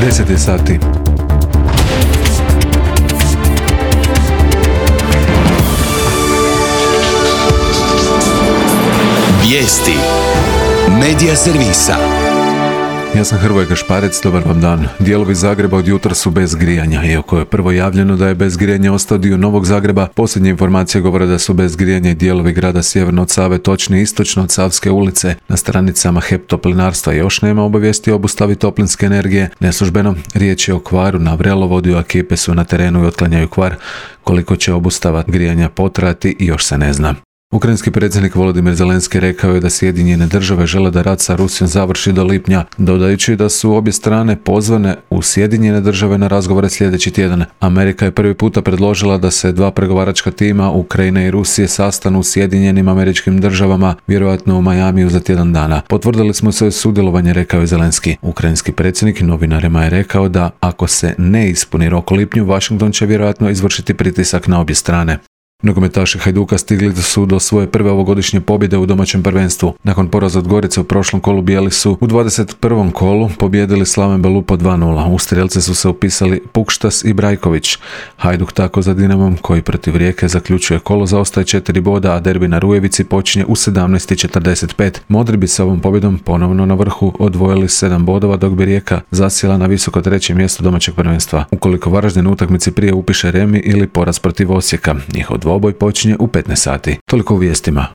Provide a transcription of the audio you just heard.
10 je sati. Vijesti Medija servisa. Ja sam Hrvoje Gašparec, dobar vam dan. Dijelovi Zagreba od jutra su bez grijanja. Iako je prvo javljeno da je bez grijanja ostao dio Novog Zagreba, posljednje informacije govore da su bez grijanja i dijelovi grada sjeverno od Save, točnije istočno od Savske ulice. Na stranicama HEP Toplinarstva još nema obavijesti o obustavi toplinske energije. Neslužbeno, riječ je o kvaru na vrelovodu, a ekipe su na terenu i otklanjaju kvar. Koliko će obustava grijanja potrajati još se ne zna. Ukrajinski predsjednik Volodymyr Zelenski rekao je da Sjedinjene države žele da rat sa Rusijom završi do lipnja, dodajući da su obje strane pozvane u Sjedinjene države na razgovore sljedeći tjedan. Amerika je prvi puta predložila da se dva pregovaračka tima, Ukrajine i Rusije, sastanu u Sjedinjenim Američkim Državama, vjerojatno u Majamiju za tjedan dana. Potvrdili smo svoje sudjelovanje, rekao je Zelenski. Ukrajinski predsjednik novinarima je rekao da ako se ne ispuni rok u lipnju, Washington će vjerojatno izvršiti pritisak na obje strane. Nogometaši Hajduka stigli su do svoje prve ovogodišnje pobjede u domaćem prvenstvu. Nakon poraza od Gorice u prošlom kolu, bijeli su u 21. kolu pobijedili Slaven Belupo 2:0. U strijelce su se upisali Pukštas i Brajković. Hajduk tako za Dinamom, koji protiv Rijeke zaključuje kolo, zaostaje 4 boda, a derbi na Rujevici počinje u 17:45. Modri bi sa ovom pobjedom ponovno na vrhu odvojili 7 bodova, dok bi Rijeka zasjela na visoko 3. mjesto domaćeg prvenstva. Ukoliko Varaždin u utakmici prije upiše remi ili poraz protiv Osijeka, njihov dvoboj počinje u 15 sati. Toliko u vijestima.